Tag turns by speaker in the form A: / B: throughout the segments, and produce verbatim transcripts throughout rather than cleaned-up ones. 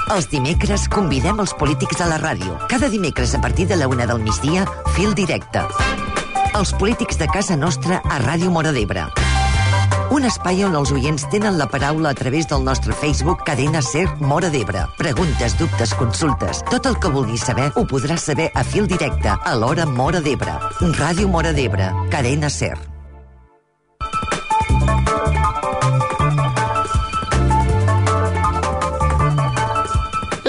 A: Els dimecres convidem els polítics a la ràdio. Cada dimecres a partir de la una del migdia, Fil Directe. Els polítics de casa nostra a Ràdio Móra d'Ebre. Un espai on els oients tenen la paraula a través del nostre Facebook Cadena Ser Móra d'Ebre. Preguntes, dubtes, consultes. Tot el que vulguis saber ho podràs saber a Fil Directe a l'hora Móra d'Ebre. Ràdio Móra d'Ebre, Cadena Ser.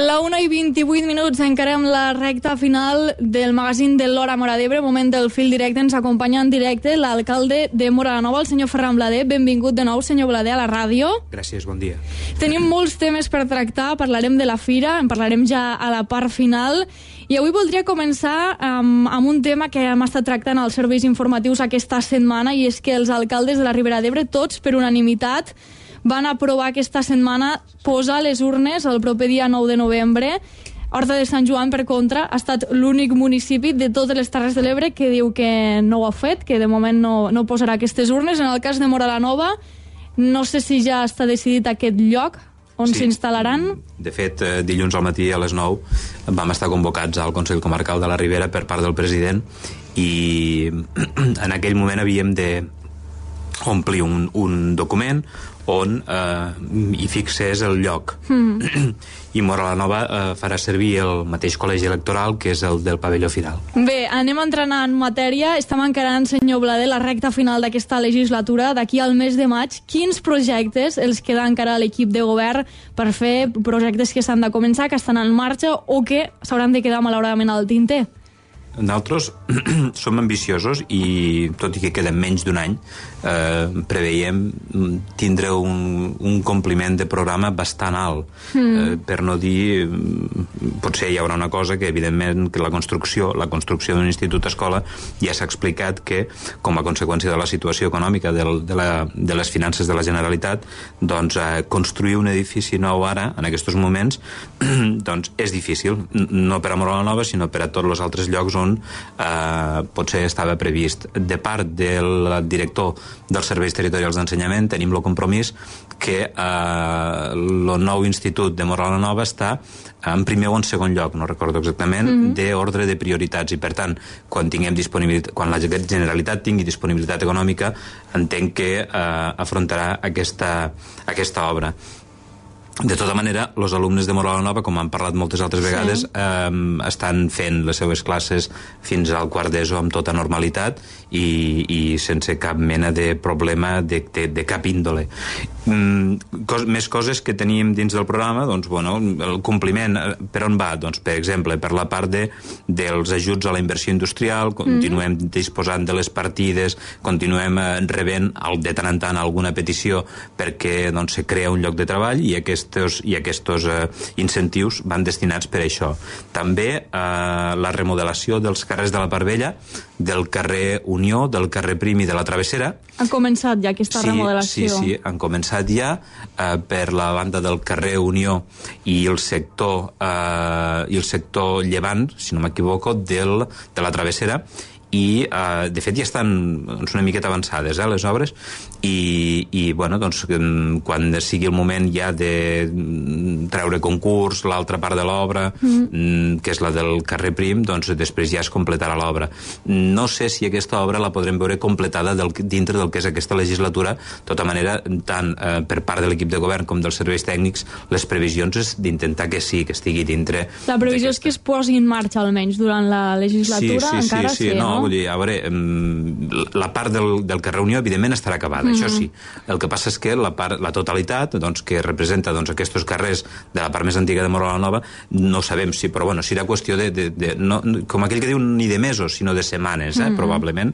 B: La una i vint-i-vuit minuts, encarem la recta final del magazín de l'Hora Móra d'Ebre, moment del Fil Directe. Ens acompanya en directe l'alcalde de Móra la Nova, el senyor Ferran Blader. Benvingut de nou, senyor Blader, a la ràdio.
C: Gràcies, bon dia.
B: Tenim molts temes per tractar, parlarem de la fira, en parlarem ja a la part final, i avui voldria començar amb, amb un tema que hem estat tractant als serveis informatius aquesta setmana, i és que els alcaldes de la Ribera d'Ebre, tots per unanimitat, van aprovar aquesta setmana posar les urnes el proper dia nou de novembre. Horta de Sant Joan, per contra, ha estat l'únic municipi de totes les Terres de l'Ebre que diu que no ho ha fet, que de moment no, no posarà aquestes urnes. En el cas de Móra la Nova, no sé si ja està decidit aquest lloc on
C: sí.
B: s'instal·laran.
C: De fet, dilluns al matí a les nou vam estar convocats al Consell Comarcal de la Ribera per part del president, i en aquell moment havíem de omplir un, un document on eh, hi fixés el lloc. Mm. I Móra la Nova eh, farà servir el mateix col·legi electoral, que és el del pavelló final.
B: Bé, anem entrant en matèria. Estem encarant, senyor Blader, la recta final d'aquesta legislatura. D'aquí al mes de maig, quins projectes els queda encara a l'equip de govern per fer projectes que s'han de començar, que estan en marxa o que s'hauran de quedar malauradament al tinter?
C: Nosaltres som ambiciosos i, tot i que queden menys d'un any, eh, preveiem tindre un, un compliment de programa bastant alt. Mm. Eh, per no dir, potser hi haurà una cosa que, evidentment, que la construcció, la construcció d'un institut-escola ja s'ha explicat que, com a conseqüència de la situació econòmica del, de, la, de les finances de la Generalitat, doncs eh, construir un edifici nou ara, en aquests moments, doncs és difícil, no per a Móra la Nova, sinó per a tots els altres llocs on eh, potser estava previst. De part del director dels serveis territorials d'ensenyament tenim el compromís que eh, el nou institut de Móra la Nova està en primer o en segon lloc, no recordo exactament, mm-hmm. d'ordre de prioritats, i per tant, quan tinguem disponibilitat, quan la Generalitat tingui disponibilitat econòmica, entenc que eh, afrontarà aquesta, aquesta obra. De tota manera, els alumnes de Móra la Nova, com han parlat moltes altres vegades, sí. eh, estan fent les seves classes fins al quart d'ESO amb tota normalitat i, i sense cap mena de problema de, de, de cap índole. Mm, cos, més coses que teníem dins del programa, doncs, bueno, el compliment, per on va? Doncs, per exemple, per la part de, dels ajuts a la inversió industrial, continuem mm. disposant de les partides, continuem eh, rebent el, de tant en tant alguna petició perquè doncs, se crea un lloc de treball, i aquest i aquests eh, incentius van destinats per això. També eh, la remodelació dels carrers de la Part Vella, del carrer Unió, del carrer Prim i de la Travessera.
B: Han començat ja aquesta
C: sí,
B: remodelació?
C: Sí, sí, han començat ja eh, per la banda del carrer Unió i el sector, eh, i el sector llevant, si no m'equivoco, del, de la Travessera, i eh, de fet ja estan doncs, una miqueta avançades eh, les obres, i, i bueno, doncs, quan sigui el moment ja de treure concurs l'altra part de l'obra, mm. que és la del carrer Prim, doncs després ja es completarà l'obra. No sé si aquesta obra la podrem veure completada del, dintre del que és aquesta legislatura. De tota manera, tant eh, per part de l'equip de govern com dels serveis tècnics, les previsions és d'intentar que sí, que estigui dintre.
B: La previsió és que es posi en marxa almenys durant la legislatura,
C: sí, sí,
B: encara
C: sí, sí,
B: sí,
C: no?
B: no?
C: Vull dir, a veure, la part del, del carrer Unió, evidentment, estarà acabada, mm-hmm. això sí. El que passa és que la, part, la totalitat, doncs, que representa doncs, aquests carrers de la part més antiga de Móra la Nova, no sabem si, però bueno, serà qüestió de, de, de no, com aquell que diu, ni de mesos, sinó de setmanes, eh, mm-hmm. probablement.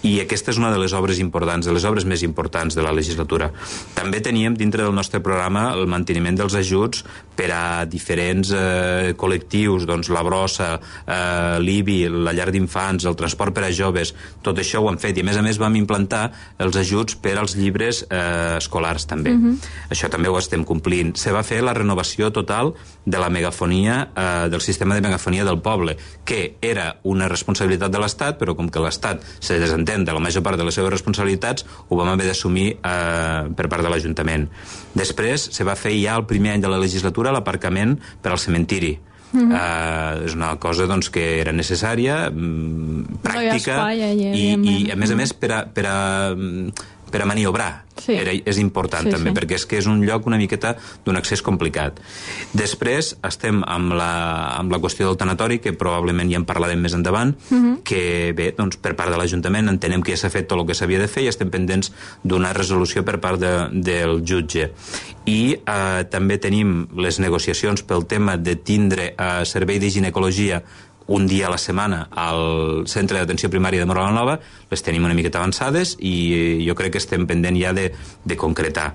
C: I aquesta és una de les obres importants, de les obres més importants de la legislatura. També teníem dintre del nostre programa el manteniment dels ajuts per a diferents eh, col·lectius, doncs la brossa, eh, l'I B I, la llar d'infants, el transport per a joves, tot això ho hem fet, i a més a més vam implantar els ajuts per als llibres eh, escolars també. Uh-huh. Això també ho estem complint. Se va fer la renovació desregulació total de la megafonia, eh, del sistema de megafonia del poble, que era una responsabilitat de l'Estat, però com que l'Estat se desentén de la major part de les seves responsabilitats, ho vam haver d'assumir eh, per part de l'Ajuntament. Després se va fer ja el primer any de la legislatura l'aparcament per al cementiri. Mm-hmm. uh, és una cosa doncs, que era necessària, mm, pràctica,
B: no hi ha espai,
C: i, i a més a més per a, per a, per a maniobrar. Sí. Era, és important sí, també, sí. perquè és que és un lloc una miqueta d'un accés complicat. Després estem amb la, amb la qüestió del tanatori, que probablement ja en parlarem més endavant, uh-huh. que bé, doncs, per part de l'Ajuntament entenem que ja s'ha fet tot el que s'havia de fer i estem pendents d'una resolució per part de, del jutge. I eh, també tenim les negociacions pel tema de tindre eh, servei de ginecologia un dia a la setmana al centre d'atenció primària de Móra la Nova. Les tenim una miqueta avançades i jo crec que estem pendent ja de, de concretar.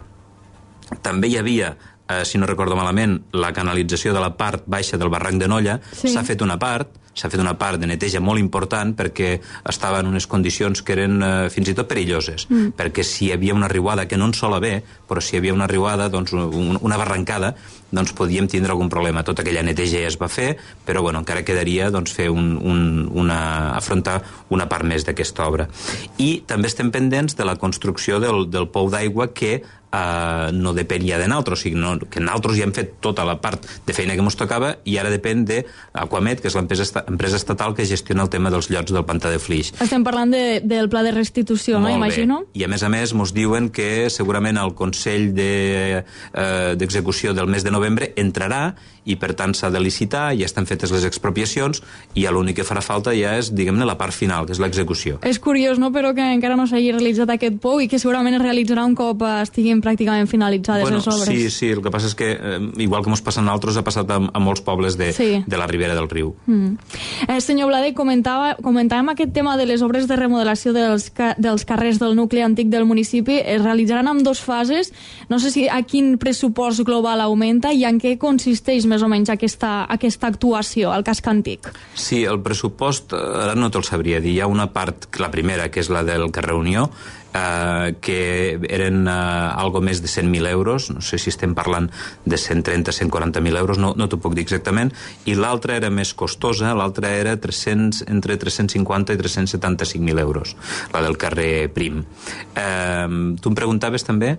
C: També hi havia, eh, si no recordo malament, la canalització de la part baixa del barranc de Nolla. Sí. S'ha fet una part, s'ha fet una part de neteja molt important perquè estava en unes condicions que eren eh, fins i tot perilloses, mm. perquè si hi havia una riuada, que no en sol haver, però si hi havia una riuada, doncs un, una barrancada, doncs podíem tindre algun problema. Tota aquella neteja ja es va fer, però bueno, encara quedaria doncs, fer un, un, una, afrontar una part més d'aquesta obra. I també estem pendents de la construcció del, del pou d'aigua que Uh, no depèn ja de nosaltres, o sigui, no, que nosaltres ja hem fet tota la part de feina que ens tocava i ara depèn d'Aquamet, que és l'empresa empresa estatal que gestiona el tema dels llots del pantà de Flix.
B: Estem parlant de, del pla de restitució,
C: Molt
B: no? Imagino.
C: Bé. I a més a més ens diuen que segurament el Consell d'Execució de, eh, del mes de novembre entrarà i per tant s'ha de licitar, ja estan fetes les expropiacions i l'únic que farà falta ja és, diguem-ne, la part final, que és l'execució.
B: És curiós, no?, però que encara no s'hagi realitzat aquest pou i que segurament es realitzarà un cop estiguin pràcticament finalitzades
C: bueno,
B: les obres.
C: Sí, sí, el que passa és que, eh, igual que ens passa a nosaltres, ha passat a, a molts pobles de, sí. de la ribera del riu.
B: Mm. Eh, senyor Blade, comentava, comentàvem aquest tema de les obres de remodelació dels, ca, dels carrers del nucli antic del municipi. Es realitzaran en dues fases. No sé si a quin pressupost global augmenta i en què consisteix més o menys aquesta, aquesta actuació al casc antic.
C: Sí, el pressupost, ara no te'l sabria dir. Hi ha una part, la primera, que és la del carrer Unió, Uh, que eren uh, algo més de cent mil euros, no sé si estem parlant de cent trenta a cent quaranta mil euros, no, no t'ho puc dir exactament, i l'altra era més costosa, l'altra era tres-cents, entre tres-cents cinquanta i tres-cents setanta-cinc mil euros, la del carrer Prim. Uh, tu em preguntaves també...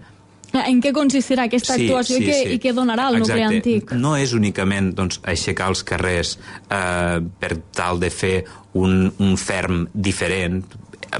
B: En què consistirà aquesta
C: sí,
B: actuació
C: sí,
B: i, què,
C: sí.
B: i què donarà el
C: Exacte.
B: nucli antic?
C: No és únicament doncs, aixecar els carrers eh, per tal de fer un, un ferm diferent,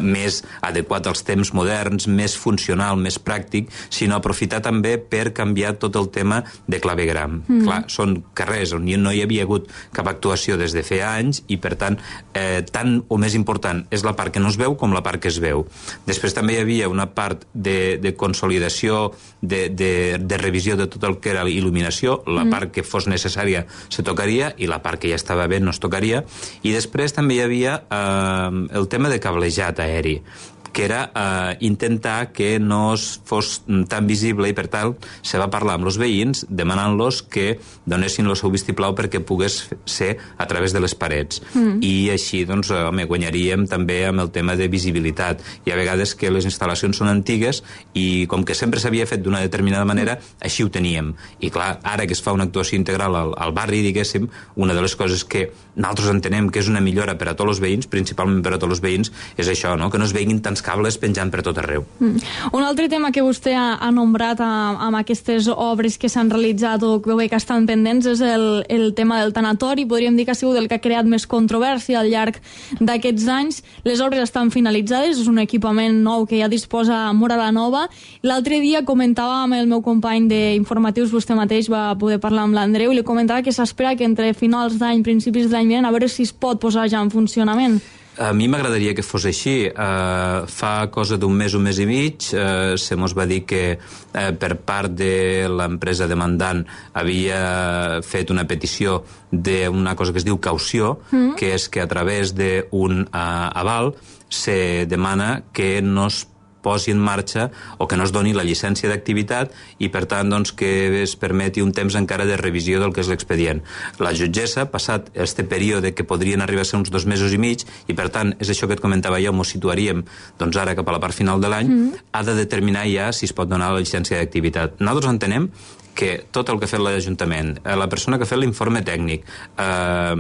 C: més adequat als temps moderns, més funcional, més pràctic, sinó aprofitar també per canviar tot el tema de clavegram. Mm. Clar, són carrers on no hi havia hagut cap actuació des de feia anys i, per tant, eh, tant o més important és la part que no es veu com la part que es veu. Després també hi havia una part de, de consolidació, de, de, de revisió de tot el que era il·luminació, la mm. part que fos necessària se tocaria i la part que ja estava bé no es tocaria. I després també hi havia eh, el tema de cablejat aeri, que era eh, intentar que no es fos tan visible i per tal se va parlar amb els veïns demanant-los que donessin el seu vistiplau perquè pogués ser a través de les parets. Mm. I així doncs, home, guanyaríem també amb el tema de visibilitat. Hi ha vegades que les instal·lacions són antigues i com que sempre s'havia fet d'una determinada manera, així ho teníem. I clar, ara que es fa una actuació integral al, al barri, diguéssim, una de les coses que nosaltres entenem que és una millora per a tots els veïns, principalment per a tots els veïns, és això, no?, que no es veguin tants cables penjant per tot arreu.
B: Mm. Un altre tema que vostè ha, ha nombrat a, amb aquestes obres que s'han realitzat o que, que estan pendents és el, el tema del tanatori. Podríem dir que ha sigut el que ha creat més controvèrsia al llarg d'aquests anys. Les obres estan finalitzades, és un equipament nou que ja disposa Móra la Nova. L'altre dia comentava amb el meu company d'informatius, vostè mateix va poder parlar amb l'Andreu, i li comentava que s'espera que entre finals d'any, principis d'any vinent, a veure si es pot posar ja en funcionament.
C: A mi m'agradaria que fos així. Uh, fa cosa d'un mes, un mes i mig, uh, se mos va dir que uh, per part de l'empresa demandant havia fet una petició d'una cosa que es diu caució, mm. que és que a través d'un uh, aval se demana que no es posi en marxa o que no es doni la llicència d'activitat i, per tant, doncs, que es permeti un temps encara de revisió del que és l'expedient. La jutgessa, passat este període que podrien arribar a ser uns dos mesos i mig, i, per tant, és això que et comentava jo, m'ho situaríem doncs, ara cap a la part final de l'any, mm. ha de determinar ja si es pot donar la llicència d'activitat. Nosaltres entenem que tot el que ha fet l'Ajuntament, eh, la persona que ha fet l'informe tècnic, eh,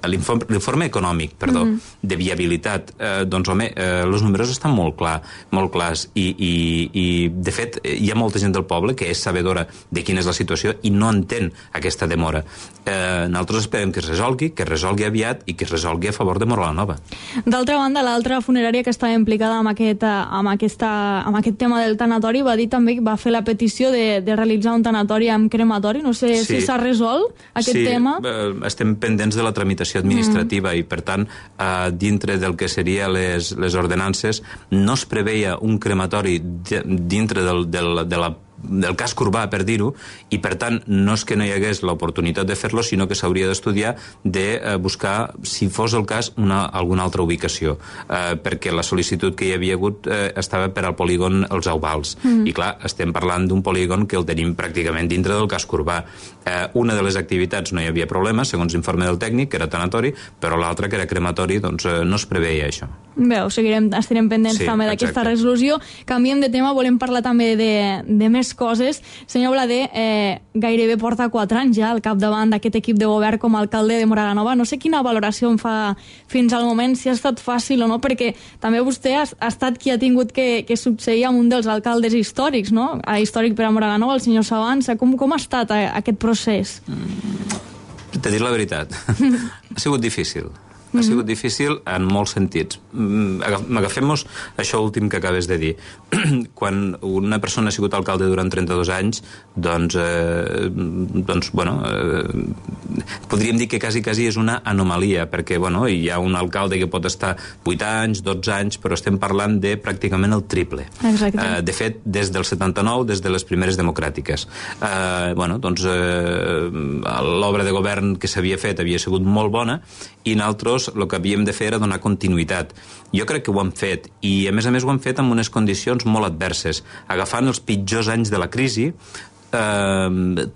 C: l'informe, l'informe econòmic, perdó, mm -hmm. de viabilitat, eh, doncs, home, eh, els números estan molt, clar, molt clars i, i, i, de fet, hi ha molta gent del poble que és sabedora de quina és la situació i no entén aquesta demora. Eh, nosaltres esperem que es resolgui, que es resolgui aviat i que es resolgui a favor de Móra la Nova.
B: D'altra banda, l'altra funerària que estava implicada amb aquest, amb, aquesta, amb aquest tema del tanatori va dir també que va fer la petició de, de realitzar un tanatori amb crematori. No sé sí. si s'ha resolt aquest
C: sí,
B: tema.
C: Sí, estem pendents de la tramitació administrativa mm. i, per tant, eh, dintre del que seria les, les ordenances, no es preveia un crematori de, dintre del, del, de la del casc urbà, per dir-ho, i per tant no és que no hi hagués l'oportunitat de fer-lo, sinó que s'hauria d'estudiar de eh, buscar, si fos el cas, una, alguna altra ubicació, eh, perquè la sol·licitud que hi havia hagut eh, estava per al polígon Els Auvals, mm. i clar, estem parlant d'un polígon que el tenim pràcticament dintre del casc urbà. Eh, una de les activitats no hi havia problema, segons l'informe del tècnic, que era tanatori, però l'altra, que era crematori, doncs eh, no es preveia això.
B: Bé, seguirem, estarem pendents sí, també d'aquesta resolució. Canviem de tema, volem parlar també de, de més coses. Senyor Blader, eh, gairebé porta quatre anys ja al capdavant d'aquest equip de govern com a alcalde de Móra la Nova. No sé quina valoració en fa fins al moment, si ha estat fàcil o no, perquè també vostè ha, ha estat qui ha tingut que, que succeir amb un dels alcaldes històrics, no? Històric per a Móra la Nova, el senyor Sabanza. Com, com ha estat a, aquest procés?
C: Mm, T'he dit la veritat. Ha sigut difícil. Ha sigut difícil en molts sentits. Agafem-nos això últim que acabes de dir. Quan una persona ha sigut alcalde durant trenta-dos anys, doncs, eh, doncs bueno, eh, podríem dir que quasi, quasi és una anomalia, perquè, bueno, hi ha un alcalde que pot estar vuit anys, dotze anys, però estem parlant de pràcticament el triple.
B: Exacte.
C: Eh, de fet, des del setanta-nou, des de les primeres democràtiques. Eh, bueno, doncs, eh, l'obra de govern que s'havia fet havia sigut molt bona, i nosaltres el que havíem de fer era donar continuïtat. Jo crec que ho hem fet, i a més a més ho hem fet amb unes condicions molt adverses, agafant els pitjors anys de la crisi, eh,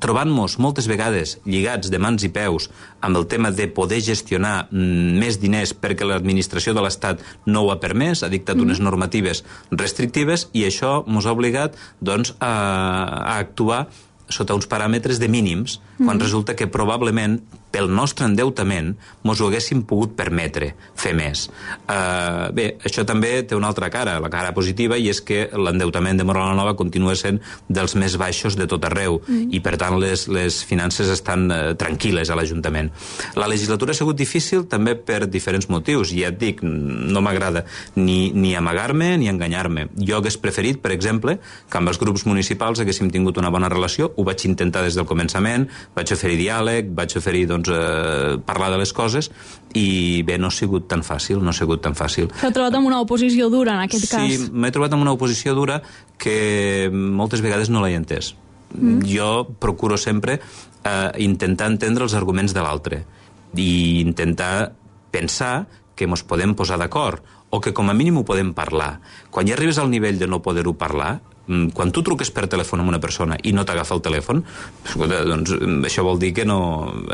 C: trobant-nos moltes vegades lligats de mans i peus amb el tema de poder gestionar mm, més diners perquè l'administració de l'Estat no ho ha permès, ha dictat unes normatives restrictives, i això ens ha obligat doncs, a, a actuar sota uns paràmetres de mínims, quan mm. resulta que probablement pel nostre endeutament mos ho haguéssim pogut permetre fer més. Uh, bé, això també té una altra cara, la cara positiva, i és que l'endeutament de Móra la Nova continua sent dels més baixos de tot arreu, mm. i per tant les, les finances estan uh, tranquil·les a l'Ajuntament. La legislatura ha sigut difícil també per diferents motius, i ja et dic, no m'agrada ni, ni amagar-me ni enganyar-me. Jo hagués preferit, per exemple, que amb els grups municipals haguéssim tingut una bona relació. Ho vaig intentar des del començament, vaig oferir diàleg, vaig oferir doncs, eh, parlar de les coses, i bé, no ha sigut tan fàcil, no ha sigut tan fàcil.
B: S'ha trobat amb una oposició dura en aquest
C: sí,
B: cas.
C: Sí, m'he trobat amb una oposició dura que moltes vegades no l'he entès. Mm. Jo procuro sempre eh, intentar entendre els arguments de l'altre i intentar pensar que ens podem posar d'acord, o que com a mínim ho podem parlar. Quan ja arribes al nivell de no poder-ho parlar, quan tu truques per telèfon a una persona i no t'agafa el telèfon, escolta, doncs això vol dir que no...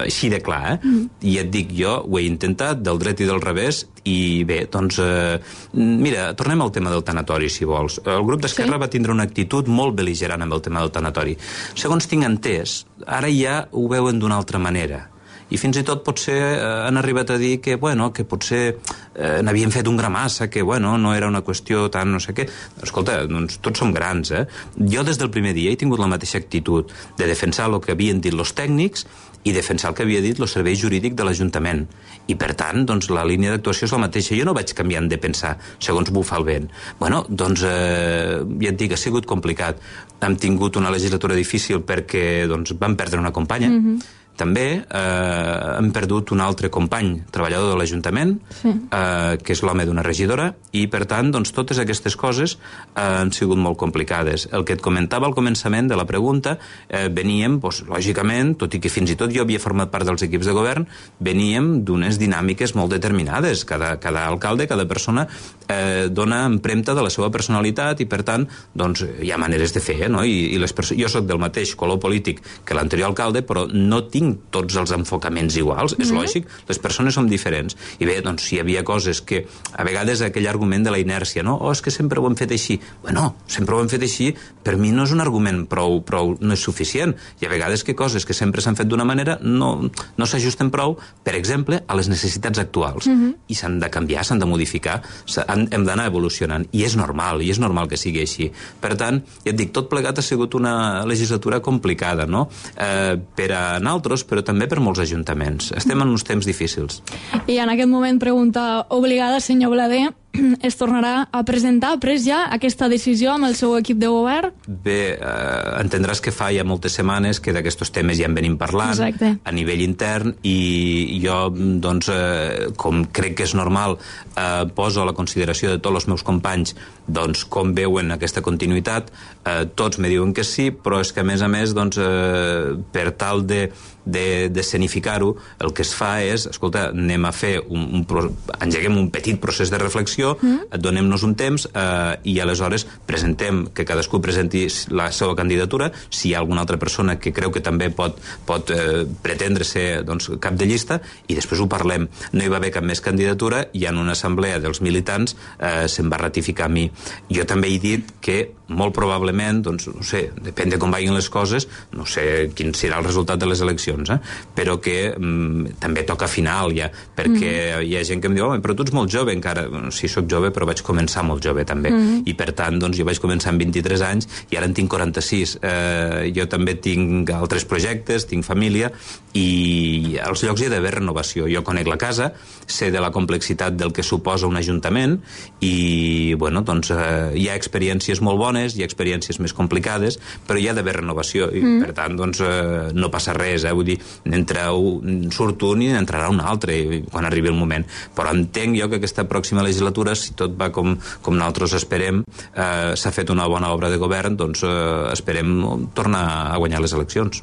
C: Així de clar, eh? Mm. I et dic, jo ho he intentat del dret i del revés, i bé, doncs... Eh, mira, tornem al tema del tanatori, si vols. El grup d'Esquerra sí. va tindre una actitud molt bel·ligerant amb el tema del tanatori. Segons tinc entès, ara ja ho veuen d'una altra manera. I fins i tot potser eh, han arribat a dir que, bueno, que potser eh, n'havien fet un gra massa, que, bueno, no era una qüestió tan no sé què. Escolta, doncs tots som grans, eh? Jo des del primer dia he tingut la mateixa actitud de defensar el que havien dit els tècnics i defensar el que havia dit el servei jurídic de l'Ajuntament. I, per tant, doncs, la línia d'actuació és la mateixa. Jo no vaig canviant de pensar segons bufa el vent. Bueno, doncs, eh, ja et dic, ha sigut complicat. Hem tingut una legislatura difícil perquè doncs, vam perdre una companya. Mm-hmm. També eh, hem perdut un altre company, treballador de l'Ajuntament, sí. eh, que és l'home d'una regidora, i per tant, doncs, totes aquestes coses eh, han sigut molt complicades. El que et comentava al començament de la pregunta, eh, veníem, doncs, lògicament, tot i que fins i tot jo havia format part dels equips de govern, veníem d'unes dinàmiques molt determinades. Cada, cada alcalde, cada persona eh, dona empremta de la seva personalitat, i per tant, doncs, hi ha maneres de fer, no? I, i les jo soc del mateix color polític que l'anterior alcalde, però no tinc tinc tots els enfocaments iguals, és mm-hmm. lògic, les persones som diferents. I bé, doncs, si hi havia coses que, a vegades, aquell argument de la inèrcia, no? Oh, és que sempre ho hem fet així. Bueno, sempre ho hem fet així, per mi no és un argument prou, prou no és suficient. I a vegades que coses que sempre s'han fet d'una manera no, no s'ajusten prou, per exemple, a les necessitats actuals. Mm-hmm. I s'han de canviar, s'han de modificar, s'han, hem d'anar evolucionant. I és normal, i és normal que sigui així. Per tant, ja et dic, tot plegat ha sigut una legislatura complicada, no? Eh, per a nosaltres, però també per molts ajuntaments. Estem en uns temps difícils.
B: I en aquest moment, pregunta obligada, senyor Blader, es tornarà a presentar, ha pres ja aquesta decisió amb el seu equip de govern?
C: Bé, eh, entendràs que fa ja moltes setmanes que d'aquests temes ja en venim parlant. Exacte. A nivell intern, i jo, doncs, eh, com crec que és normal, eh, poso a la consideració de tots els meus companys doncs, com veuen aquesta continuïtat. Eh, tots me diuen que sí, però és que a més a més, doncs, eh, per tal de de, de escenificar-ho, el que es fa és, escolta, anem a fer un, un pro... engeguem un petit procés de reflexió, mm. donem-nos un temps eh, i aleshores presentem, que cadascú presenti la seva candidatura, si hi ha alguna altra persona que creu que també pot, pot eh, pretendre ser, doncs, cap de llista, i després ho parlem. No hi va haver cap més candidatura i en una assemblea dels militants eh, se'm va ratificar a mi. Jo també he dit que molt probablement, doncs, no sé, depèn de com vagin les coses, no sé quin serà el resultat de les eleccions, eh? Però que mm, també toca final ja, perquè mm. hi ha gent que em diu, oh, però tu ets molt jove encara. Bueno, sí, soc jove, però vaig començar molt jove també, mm. i per tant, doncs, jo vaig començar amb vint-i-tres anys i ara en tinc quaranta-sis. Eh, jo també tinc altres projectes, tinc família, i als llocs hi ha d'haver renovació. Jo conec la casa, sé de la complexitat del que suposa un ajuntament i, bueno, doncs, eh, hi ha experiències molt bones, hi ha experiències més complicades, però hi ha d'haver renovació i, mm. per tant, doncs, eh, no passa res, eh? Vull dir, n'entra un, surt un i n'entrarà un altre quan arribi el moment. Però entenc jo que aquesta pròxima legislatura, si tot va com, com nosaltres esperem, eh, s'ha fet una bona obra de govern, doncs eh, esperem tornar a guanyar les eleccions.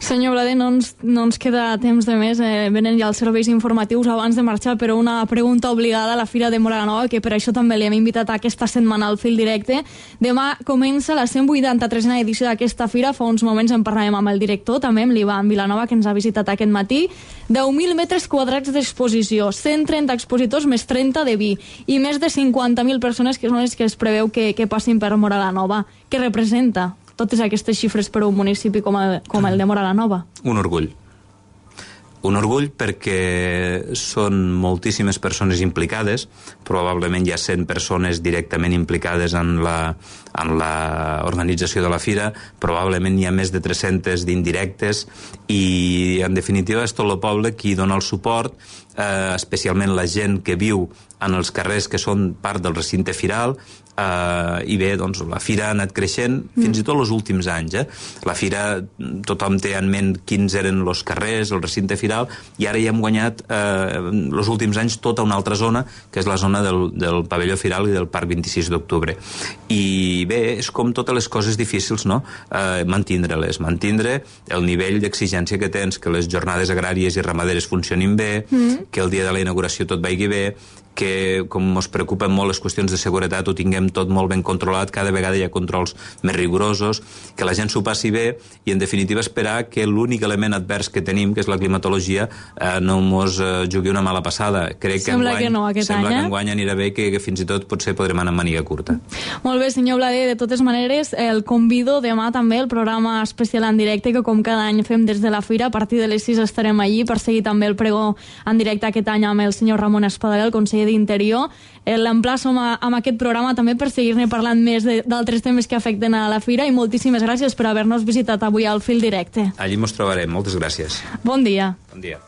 B: Senyor Blader, no ens, no ens queda temps de més, eh, venen ja els serveis informatius abans de marxar, però una pregunta obligada a la Fira de Móra la Nova, que per això també li hem invitat a aquesta setmana al Fil Directe. Demà comença la cent vuitanta-tresena edició d'aquesta fira. Fa uns moments en parlàvem amb el director, també amb l'Ivan Vilanova, que ens ha visitat aquest matí. deu mil metres quadrats d'exposició, cent trenta expositors més trenta de vi i més de cinquanta mil persones que són les que es preveu que, que passin per Móra la Nova. Què representa totes aquestes xifres per a un municipi com el, com el de Móra la Nova?
C: Un orgull. Un orgull perquè són moltíssimes persones implicades, probablement hi ha cent persones directament implicades en la, en la organització de la fira, probablement hi ha més de tres-centes d'indirectes i, en definitiva, és tot el poble qui dona el suport, eh, especialment la gent que viu en els carrers que són part del recinte firal, Uh, i bé, doncs la fira ha anat creixent fins i tot els últims anys, eh? La fira, tothom té en ment quins eren els carrers, el recinte firal, i ara ja hem guanyat eh, els últims anys tota una altra zona, que és la zona del, del pavelló firal i del parc vint-i-sis d'octubre. I bé, és com totes les coses difícils, no? Eh, mantindre-les, mantindre el nivell d'exigència que tens, que les jornades agràries i ramaderes funcionin bé, mm. que el dia de la inauguració tot vagi bé, que com ens preocupen molt les qüestions de seguretat ho tinguem tot molt ben controlat, cada vegada hi ha controls més rigorosos, que la gent s'ho passi bé i en definitiva esperar que l'únic element advers que tenim, que és la climatologia, eh, no mos eh, jugui una mala passada. Crec que
B: sembla
C: enguany,
B: que no aquest
C: sembla
B: any, eh?
C: que enguany anirà bé, que, que fins i tot potser podrem anar amb màniga curta.
B: Molt bé, senyor Blader, de totes maneres el convido demà també al programa especial en directe que com cada any fem des de la fira, a partir de les sis estarem allí per seguir també el pregó en directe aquest any amb el senyor Ramon Espadaler, el conseller d'Interior. L'emplaço amb aquest programa també per seguir-ne parlant més d'altres temes que afecten a la fira i moltíssimes gràcies per haver-nos visitat avui al Fil Directe.
C: Allí mos trobarem. Moltes gràcies.
B: Bon dia.
C: Bon dia.